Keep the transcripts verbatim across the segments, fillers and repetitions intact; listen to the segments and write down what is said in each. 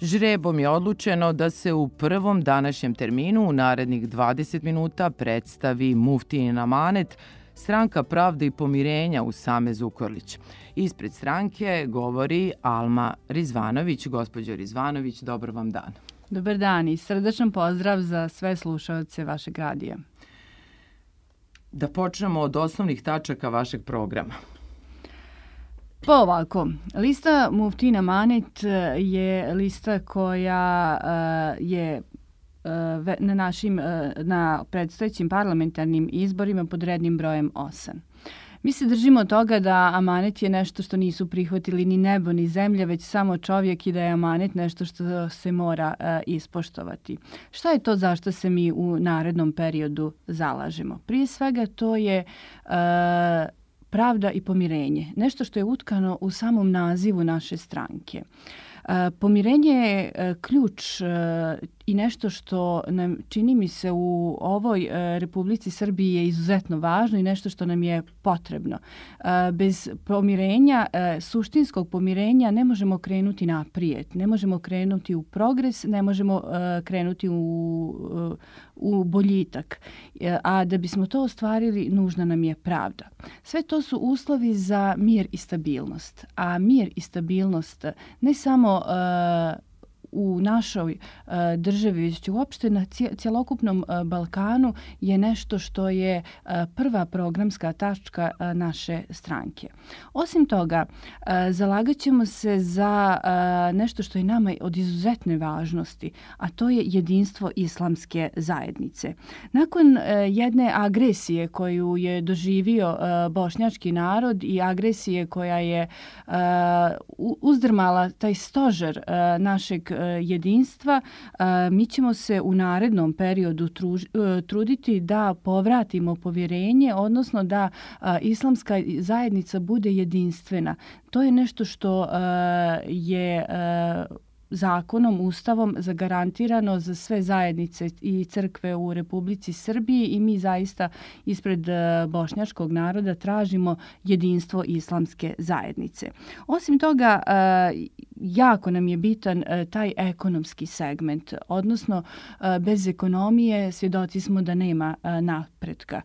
Žrebom je odlučeno da se u prvom današnjem terminu u narednih dvadeset minuta predstavi muftijin amanet Stranka pravde i pomirenja Usame Zukorlić. Ispred stranke govori Alma Rizvanović. Gospođo Rizvanović, dobar vam dan. Dobar dan i srdačan pozdrav za sve slušaoce vašeg radija. Da počnemo od osnovnih tačaka vašeg programa. Pa ovako, lista Muftijin amanet je lista koja uh, je uh, na našim uh, na predstojećim parlamentarnim izborima pod rednim brojem osam. Mi se držimo toga da amanet je nešto što nisu prihvatili ni nebo ni zemlja, već samo čovjek i da je amanet nešto što se mora uh, ispoštovati. Šta je to zašto se mi u narednom periodu zalažemo? Prije svega to je uh, pravda i pomirenje, nešto što je utkano u samom nazivu naše stranke. Pomirenje je ključ i nešto što nam, čini mi se, u ovoj Republici Srbiji je izuzetno važno i nešto što nam je potrebno. Bez pomirenja, suštinskog pomirenja, ne možemo krenuti naprijed, ne možemo krenuti u progres, ne možemo krenuti u, u boljitak. A da bismo to ostvarili, nužna nam je pravda. Sve to su uslovi za mir i stabilnost. A mir i stabilnost ne samo uh, u našoj uh, državi, već uopšte na cjelokupnom uh, Balkanu je nešto što je uh, prva programska tačka uh, naše stranke. Osim toga, uh, zalagat ćemo se za uh, nešto što je nama od izuzetne važnosti, a to je jedinstvo islamske zajednice. Nakon uh, jedne agresije koju je doživio uh, bošnjački narod i agresije koja je uh, uzdrmala taj stožer uh, našeg jedinstva, mi ćemo se u narednom periodu truditi da povratimo povjerenje, odnosno da islamska zajednica bude jedinstvena. To je nešto što je zakonom, ustavom zagarantirano za sve zajednice i crkve u Republici Srbiji i mi zaista ispred bošnjačkog naroda tražimo jedinstvo islamske zajednice. Osim toga, jako nam je bitan taj ekonomski segment, odnosno bez ekonomije svjedoci smo da nema napretka.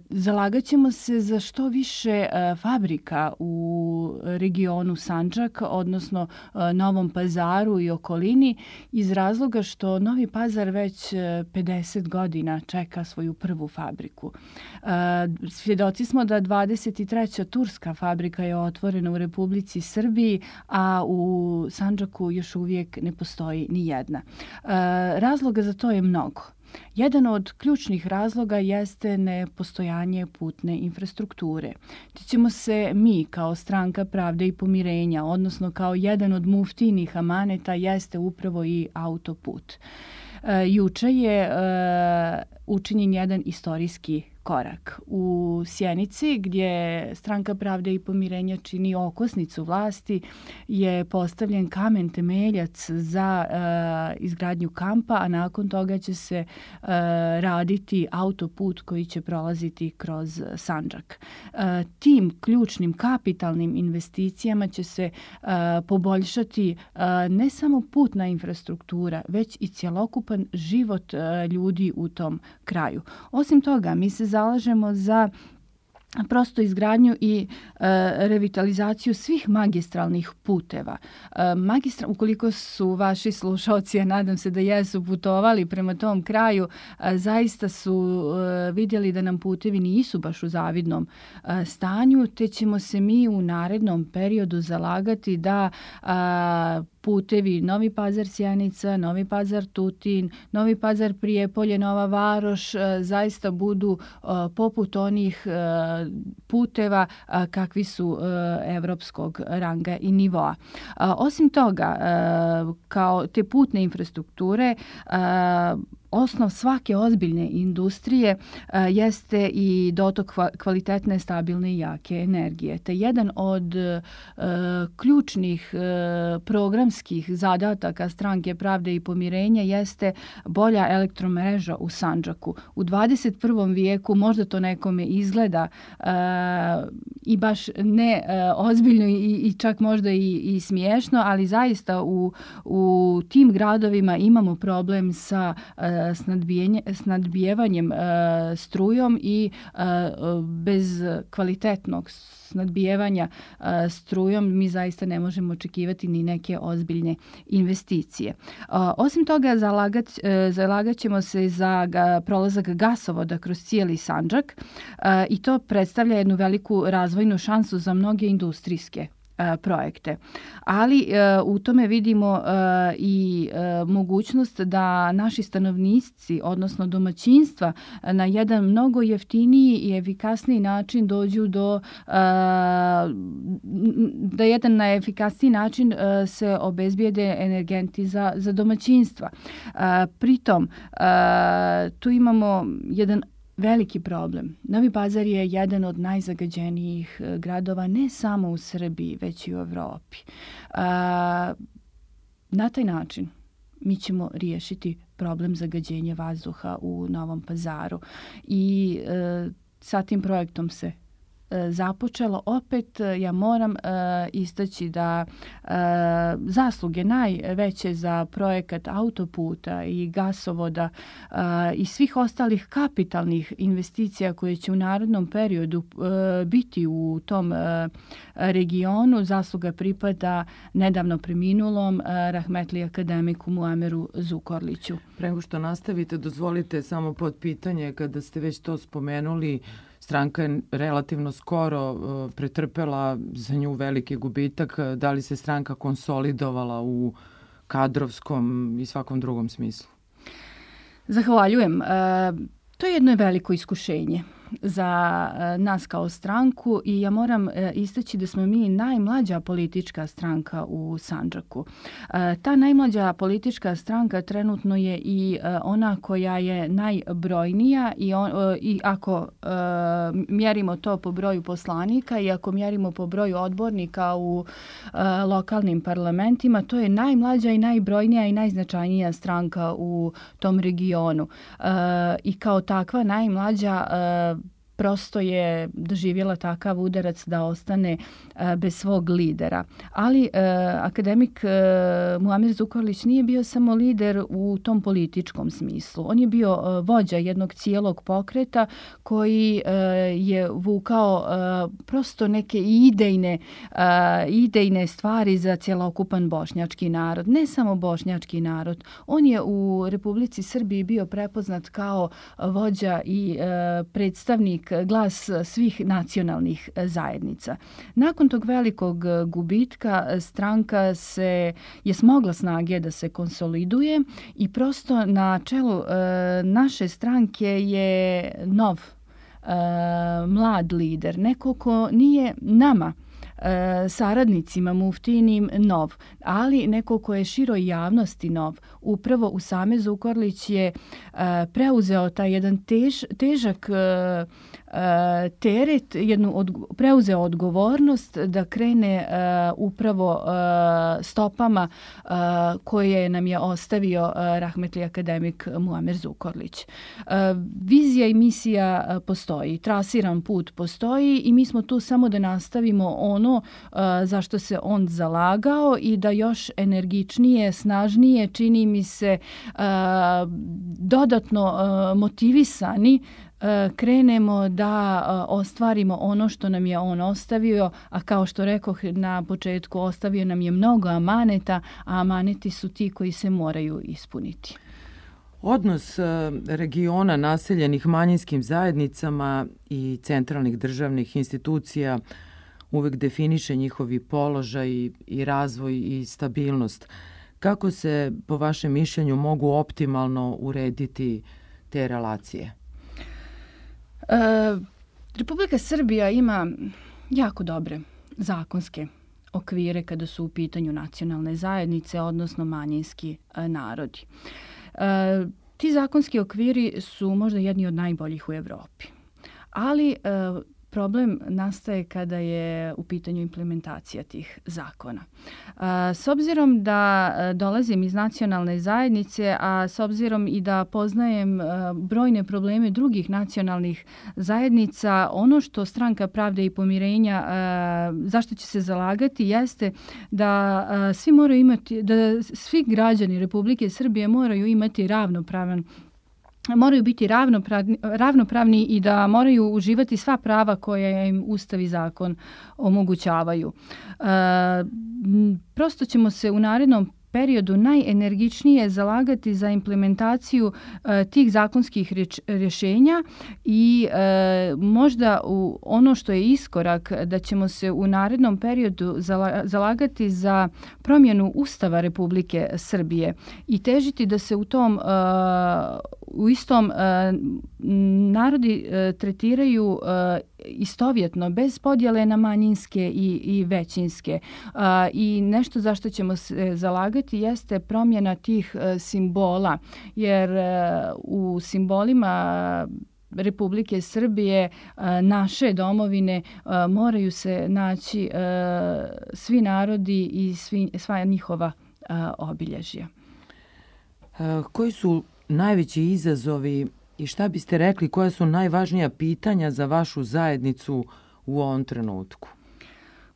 Zalagat ćemo se za što više fabrika u regionu Sandžak, odnosno Novom Pazaru i okolini, iz razloga što Novi Pazar već pedeset godina čeka svoju prvu fabriku. Svjedoci smo da dvadeset treća turska fabrika je otvorena u Republici Srbiji, a u u Sandžaku još uvijek ne postoji ni jedna. Razloga za to je mnogo. Jedan od ključnih razloga jeste nepostojanje putne infrastrukture. Te ćemo se mi kao stranka pravde i pomirenja, odnosno kao jedan od muftijinih amaneta, jeste upravo i autoput. Juče je učinjen jedan istorijski korak. U Sjenici, gdje stranka pravde i pomirenja čini okosnicu vlasti, je postavljen kamen temeljac za uh, izgradnju kampa, a nakon toga će se uh, raditi autoput koji će prolaziti kroz Sandžak. Uh, tim ključnim kapitalnim investicijama će se uh, poboljšati uh, ne samo putna infrastruktura, već i cjelokupan život uh, ljudi u tom kraju. Osim toga, mi se zalažemo za prosto izgradnju i e, revitalizaciju svih magistralnih puteva. E, magistra, ukoliko su vaši slušalci, ja nadam se da jesu putovali prema tom kraju, e, zaista su e, vidjeli da nam putevi nisu baš u zavidnom e, stanju, te ćemo se mi u narednom periodu zalagati da a, putevi Novi Pazar Sjenica, Novi Pazar Tutin, Novi Pazar Prijepolje, Nova Varoš zaista budu poput onih puteva kakvi su evropskog ranga i nivoa. Osim toga, kao te putne infrastrukture, osnov svake ozbiljne industrije uh, jeste i dotok kvalitetne, stabilne i jake energije. Te jedan od uh, ključnih uh, programskih zadataka Stranke pravde i pomirenja jeste bolja elektromreža u Sandžaku. U dvadeset prvom vijeku možda to nekome izgleda uh, i baš ne uh, ozbiljno i, i čak možda i, i smiješno, ali zaista u, u tim gradovima imamo problem sa uh, snadbijevanjem uh, strujom i uh, bez kvalitetnog snadbijevanja uh, strujom mi zaista ne možemo očekivati ni neke ozbiljne investicije. Uh, osim toga, zalagat, uh, zalagat ćemo se za ga, prolazak gasovoda kroz cijeli Sandžak uh, i to predstavlja jednu veliku razvojnu šansu za mnoge industrijske projekte. Ali uh, u tome vidimo uh, i uh, mogućnost da naši stanovnici, odnosno domaćinstva, na jedan mnogo jeftiniji i efikasniji način dođu do uh, da jedan na efikasniji način uh, se obezbijede energenti za, za domaćinstva. Uh, pritom uh, tu imamo jedan veliki problem. Novi Pazar je jedan od najzagađenijih gradova ne samo u Srbiji, već i u Evropi. Na taj način mi ćemo riješiti problem zagađenja vazduha u Novom Pazaru i sa tim projektom se započelo. Opet ja moram uh, istaći da uh, zasluge najveće za projekat autoputa i gasovoda uh, i svih ostalih kapitalnih investicija koje će u narednom periodu uh, biti u tom uh, regionu, zasluga pripada nedavno preminulom uh, rahmetli akademiku Muameru Zukorliću. Pre nego što nastavite, dozvolite samo pod pitanje, kada ste već to spomenuli, stranka je relativno skoro uh, pretrpela za nju veliki gubitak. Da li se stranka konsolidovala u kadrovskom i svakom drugom smislu? Zahvaljujem. Uh, to je jedno veliko iskušenje za uh, nas kao stranku i ja moram uh, istaći da smo mi najmlađa politička stranka u Sandžaku. Uh, ta najmlađa politička stranka trenutno je i uh, ona koja je najbrojnija i, on, uh, i ako uh, mjerimo to po broju poslanika i ako mjerimo po broju odbornika u uh, lokalnim parlamentima, to je najmlađa i najbrojnija i najznačajnija stranka u tom regionu. Uh, I kao takva najmlađa uh, prosto je doživjela takav udarac da ostane uh, bez svog lidera. Ali uh, akademik uh, Muamer Zukorlić nije bio samo lider u tom političkom smislu. On je bio uh, vođa jednog cijelog pokreta koji uh, je vukao uh, prosto neke idejne, uh, idejne stvari za cjelokupan bošnjački narod. Ne samo bošnjački narod. On je u Republici Srbiji bio prepoznat kao vođa i uh, predstavnik, glas svih nacionalnih zajednica. Nakon tog velikog gubitka stranka se je smogla snage da se konsoliduje i prosto na čelu e, naše stranke je nov e, mlad lider, neko ko nije nama saradnicima muftinim nov, ali neko ko je široj javnosti nov. Upravo Usame Zukorlić je uh, preuzeo taj jedan tež, težak uh, uh, teret, jednu od, preuzeo odgovornost da krene uh, upravo uh, stopama uh, koje nam je ostavio uh, rahmetli akademik Muamer Zukorlić. Uh, vizija i misija uh, postoji, trasiran put postoji i mi smo tu samo da nastavimo ono Uh, zašto se on zalagao i da još energičnije, snažnije, čini mi se uh, dodatno uh, motivisani uh, krenemo da uh, ostvarimo ono što nam je on ostavio, a kao što rekoh na početku, ostavio nam je mnogo amaneta, a amaneti su ti koji se moraju ispuniti. Odnos regiona naseljenih manjinskim zajednicama i centralnih državnih institucija uvek definiše njihovi položaj i razvoj i stabilnost. Kako se, po vašem mišljenju, mogu optimalno urediti te relacije? E, Republika Srbija ima jako dobre zakonske okvire kada su u pitanju nacionalne zajednice, odnosno manjinski e, narodi. E, Ti zakonski okviri su možda jedni od najboljih u Europi, ali problem nastaje kada je u pitanju implementacija tih zakona. S obzirom da dolazim iz nacionalne zajednice, a s obzirom i da poznajem brojne probleme drugih nacionalnih zajednica, ono što Stranka pravde i pomirenja zašto će se zalagati jeste da svi moraju imati, da svi građani Republike Srbije moraju imati ravnopravan moraju biti ravnopravni, ravnopravni i da moraju uživati sva prava koja im Ustav i zakon omogućavaju. E, prosto ćemo se u narednom periodu najenergičnije zalagati za implementaciju e, tih zakonskih rječ, rješenja i e, možda u ono što je iskorak da ćemo se u narednom periodu zala, zalagati za promjenu Ustava Republike Srbije i težiti da se u tom e, u istom e, narodi e, tretiraju e, istovjetno, bez podjele na manjinske i, i većinske. E, I nešto za što ćemo se zalagati jeste promjena tih e, simbola, jer e, u simbolima Republike Srbije, e, naše domovine, e, moraju se naći e, svi narodi i svi, sva njihova e, obilježja. E, koji su najveći izazovi i šta biste rekli, koja su najvažnija pitanja za vašu zajednicu u ovom trenutku?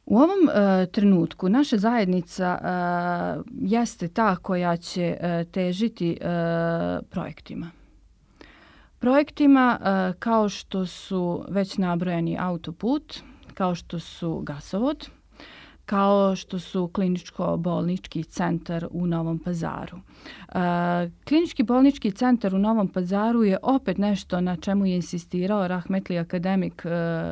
U ovom uh, trenutku naša zajednica uh, jeste ta koja će uh, težiti uh, projektima. Projektima uh, kao što su već nabrojani autoput, kao što su gasovod, kao što su kliničko-bolnički centar u Novom Pazaru. E, klinički bolnički centar u Novom Pazaru je opet nešto na čemu je insistirao rahmetli akademik e,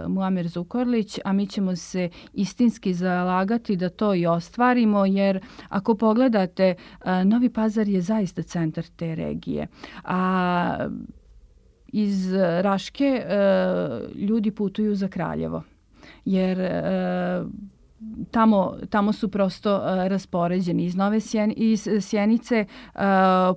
Muamer Zukorlić, a mi ćemo se istinski zalagati da to i ostvarimo, jer ako pogledate, e, Novi Pazar je zaista centar te regije. A iz Raške e, ljudi putuju za Kraljevo, jer e, Tamo, tamo su prosto uh, raspoređeni. Iz Nove Sjen, iz Sjenice uh,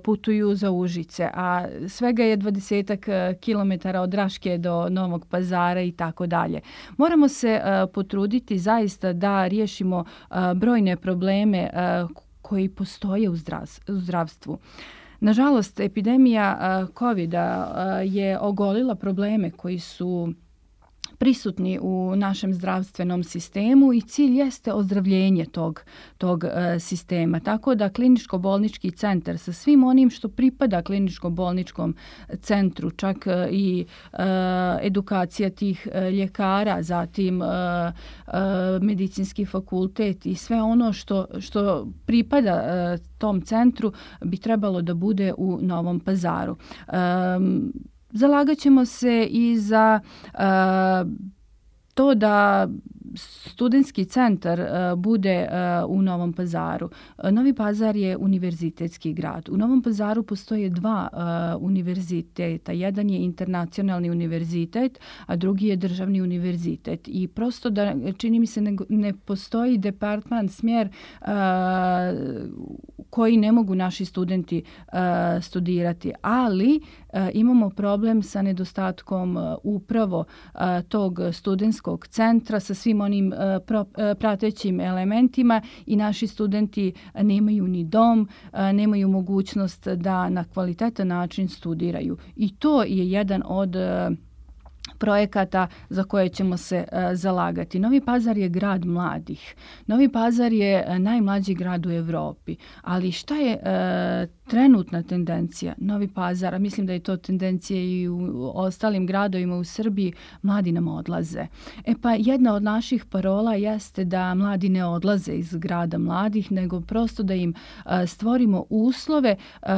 putuju za Užice, a svega je dvadesetak uh, kilometara od Raške do Novog Pazara i tako dalje. Moramo se uh, potruditi zaista da riješimo uh, brojne probleme uh, koji postoje u, zdravs, u zdravstvu. Nažalost, epidemija uh, kovida uh, je ogolila probleme koji su prisutni u našem zdravstvenom sistemu i cilj jeste ozdravljenje tog, tog e, sistema. Tako da kliničko-bolnički centar sa svim onim što pripada kliničko-bolničkom centru, čak e, i e, edukacija tih e, ljekara, zatim e, e, medicinski fakultet i sve ono što, što pripada e, tom centru bi trebalo da bude u Novom Pazaru. E, Zalagat ćemo se i za uh, to da studentski centar uh, bude uh, u Novom Pazaru. Uh, Novi Pazar je univerzitetski grad. U Novom Pazaru postoje dva uh, univerziteta. Jedan je internacionalni univerzitet, a drugi je državni univerzitet. I prosto da, čini mi se, ne, ne postoji departman, smjer uh, koji ne mogu naši studenti uh, studirati. Ali uh, imamo problem sa nedostatkom uh, upravo uh, tog studentskog centra sa svim onim uh, pro, uh, pratećim elementima i naši studenti nemaju ni dom, uh, nemaju mogućnost da na kvalitetan način studiraju. I to je jedan od uh, projekata za koje ćemo se uh, zalagati. Novi Pazar je grad mladih. Novi Pazar je uh, najmlađi grad u Evropi. Ali šta je uh, trenutna tendencija? Novi Pazar, a mislim da je to tendencija i u ostalim gradovima u Srbiji, mladi nam odlaze. E pa jedna od naših parola jeste da mladi ne odlaze iz grada mladih, nego prosto da im uh, stvorimo uslove uh,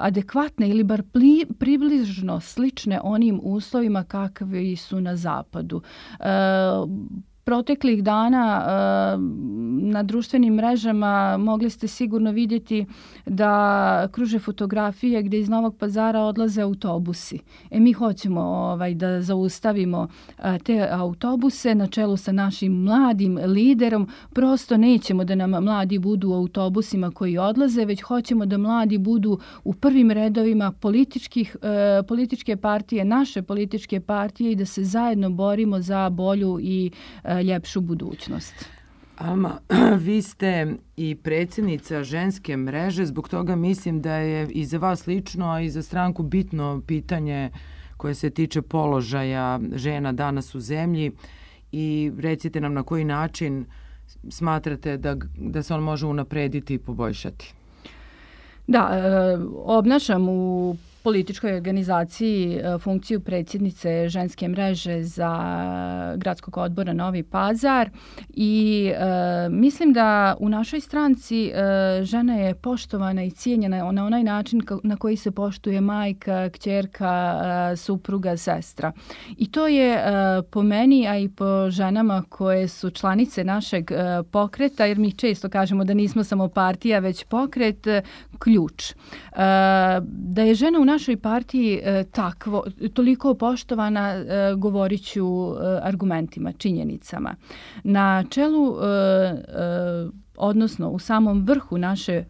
adekvatne ili bar pli, približno slične onim uslovima kakvi su na zapadu. Uh, proteklih dana na društvenim mrežama mogli ste sigurno vidjeti da kruže fotografije gdje iz Novog Pazara odlaze autobusi. E mi hoćemo ovaj, da zaustavimo te autobuse na čelu sa našim mladim liderom. Prosto nećemo da nam mladi budu u autobusima koji odlaze, već hoćemo da mladi budu u prvim redovima političkih, političke partije, naše političke partije i da se zajedno borimo za bolju i ljepšu budućnost. Alma, vi ste i predsjednica ženske mreže, zbog toga mislim da je i za vas lično, a i za stranku bitno pitanje koje se tiče položaja žena danas u zemlji i recite nam na koji način smatrate da, da se on može unaprediti i poboljšati. Da, obnašam u političkoj organizaciji funkciju predsjednice ženske mreže za gradskog odbora Novi Pazar i e, mislim da u našoj stranci e, žena je poštovana i cijenjena na onaj način na koji se poštuje majka, kćerka, e, supruga, sestra. I to je e, po meni, a i po ženama koje su članice našeg e, pokreta, jer mi često kažemo da nismo samo partija, već pokret, e, ključ. E, da je žena u našoj partiji e, takvo, toliko poštovana, e, govorit ću e, argumentima, činjenicama. Na čelu, e, e, odnosno u samom vrhu naše e,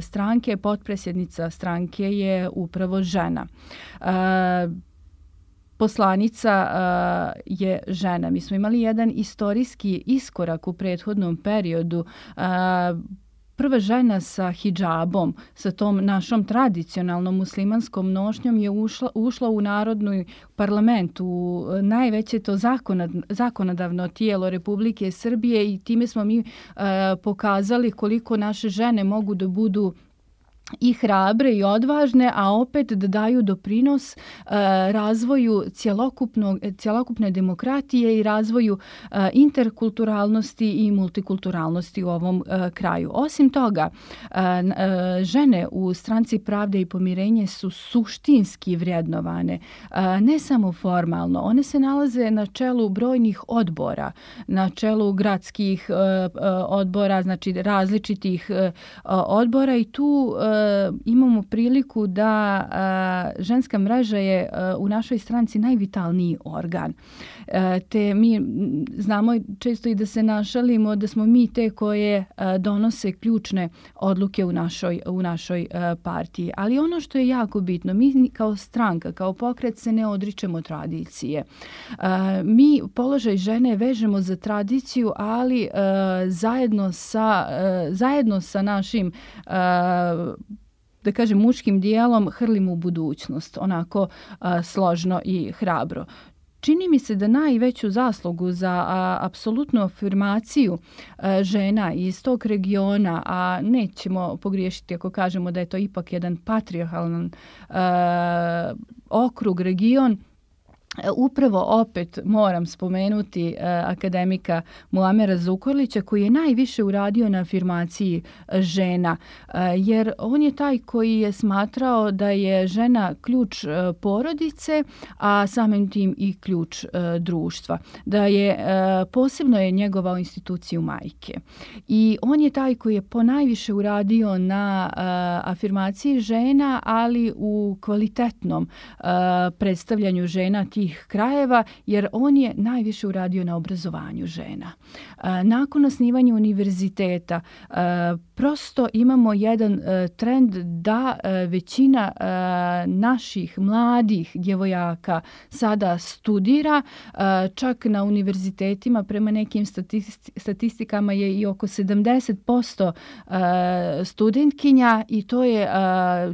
stranke, potpredsjednica stranke je upravo žena. E, Poslanica uh, je žena. Mi smo imali jedan istorijski iskorak u prethodnom periodu. Uh, Prva žena sa hidžabom, sa tom našom tradicionalnom muslimanskom nošnjom je ušla, ušla u Narodni parlament, u najveće to zakonad, zakonodavno tijelo Republike Srbije i time smo mi uh, pokazali koliko naše žene mogu da budu i hrabre i odvažne, a opet da daju doprinos e, razvoju cjelokupne demokratije i razvoju e, interkulturalnosti i multikulturalnosti u ovom e, kraju. Osim toga, e, e, žene u stranci Pravde i pomirenje su suštinski vrednovane, e, ne samo formalno. One se nalaze na čelu brojnih odbora, na čelu gradskih e, odbora, znači različitih e, odbora i tu e, imamo priliku da uh, ženska mreža je uh, u našoj stranci najvitalniji organ. Uh, te mi znamo često i da se našalimo da smo mi te koje uh, donose ključne odluke u našoj, u našoj uh, partiji. Ali ono što je jako bitno, mi kao stranka, kao pokret se ne odričemo tradicije. Uh, mi položaj žene vežemo za tradiciju, ali uh, zajedno sa, uh, zajedno sa našim uh, da kažem muškim dijelom hrlimo u budućnost, onako a, složno i hrabro. Čini mi se da najveću zaslugu za a, apsolutnu afirmaciju a, žena iz tog regiona, a nećemo pogriješiti ako kažemo da je to ipak jedan patrijarhalan a, okrug, region, upravo opet moram spomenuti uh, akademika Muamera Zukorlića koji je najviše uradio na afirmaciji žena, uh, jer on je taj koji je smatrao da je žena ključ uh, porodice, a samim tim i ključ uh, društva. Da je uh, posebno je njegovao instituciju majke. I on je taj koji je ponajviše uradio na uh, afirmaciji žena, ali u kvalitetnom uh, predstavljanju žena tih krajeva, jer on je najviše uradio na obrazovanju žena. Nakon osnivanja univerziteta prosto imamo jedan trend da većina naših mladih djevojaka sada studira, čak na univerzitetima prema nekim statistikama je i oko sedamdeset posto studentkinja i to je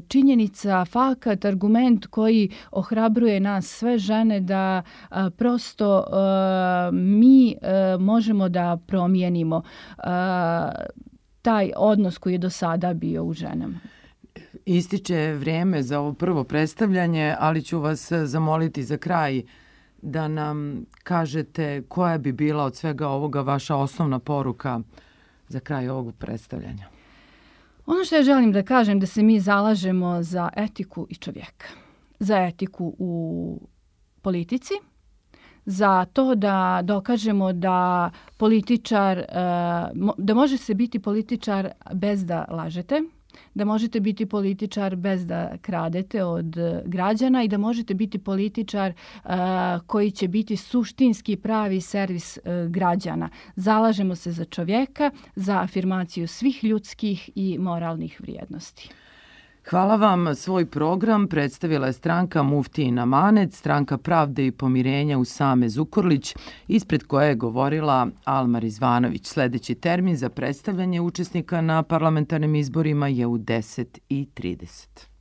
činjenica, fakat, argument koji ohrabruje nas sve žene da a, prosto a, mi a, možemo da promijenimo a, taj odnos koji je do sada bio u ženama. Ističe vrijeme za ovo prvo predstavljanje, ali ću vas zamoliti za kraj da nam kažete koja bi bila od svega ovoga vaša osnovna poruka za kraj ovog predstavljanja. Ono što ja želim da kažem da se mi zalažemo za etiku i čovjeka. Za etiku u politici, za to da dokažemo da političar, da može se biti političar bez da lažete, da možete biti političar bez da kradete od građana i da možete biti političar uh, koji će biti suštinski pravi servis uh, građana. Zalažemo se za čovjeka, za afirmaciju svih ljudskih i moralnih vrijednosti. Hvala vam. Svoj program predstavila je stranka Muftijin Amanet, stranka Pravde i pomirenja Usame Zukorlić, ispred koje je govorila Alma Rizvanović. Sljedeći termin za predstavljanje učesnika na parlamentarnim izborima je u deset i trideset.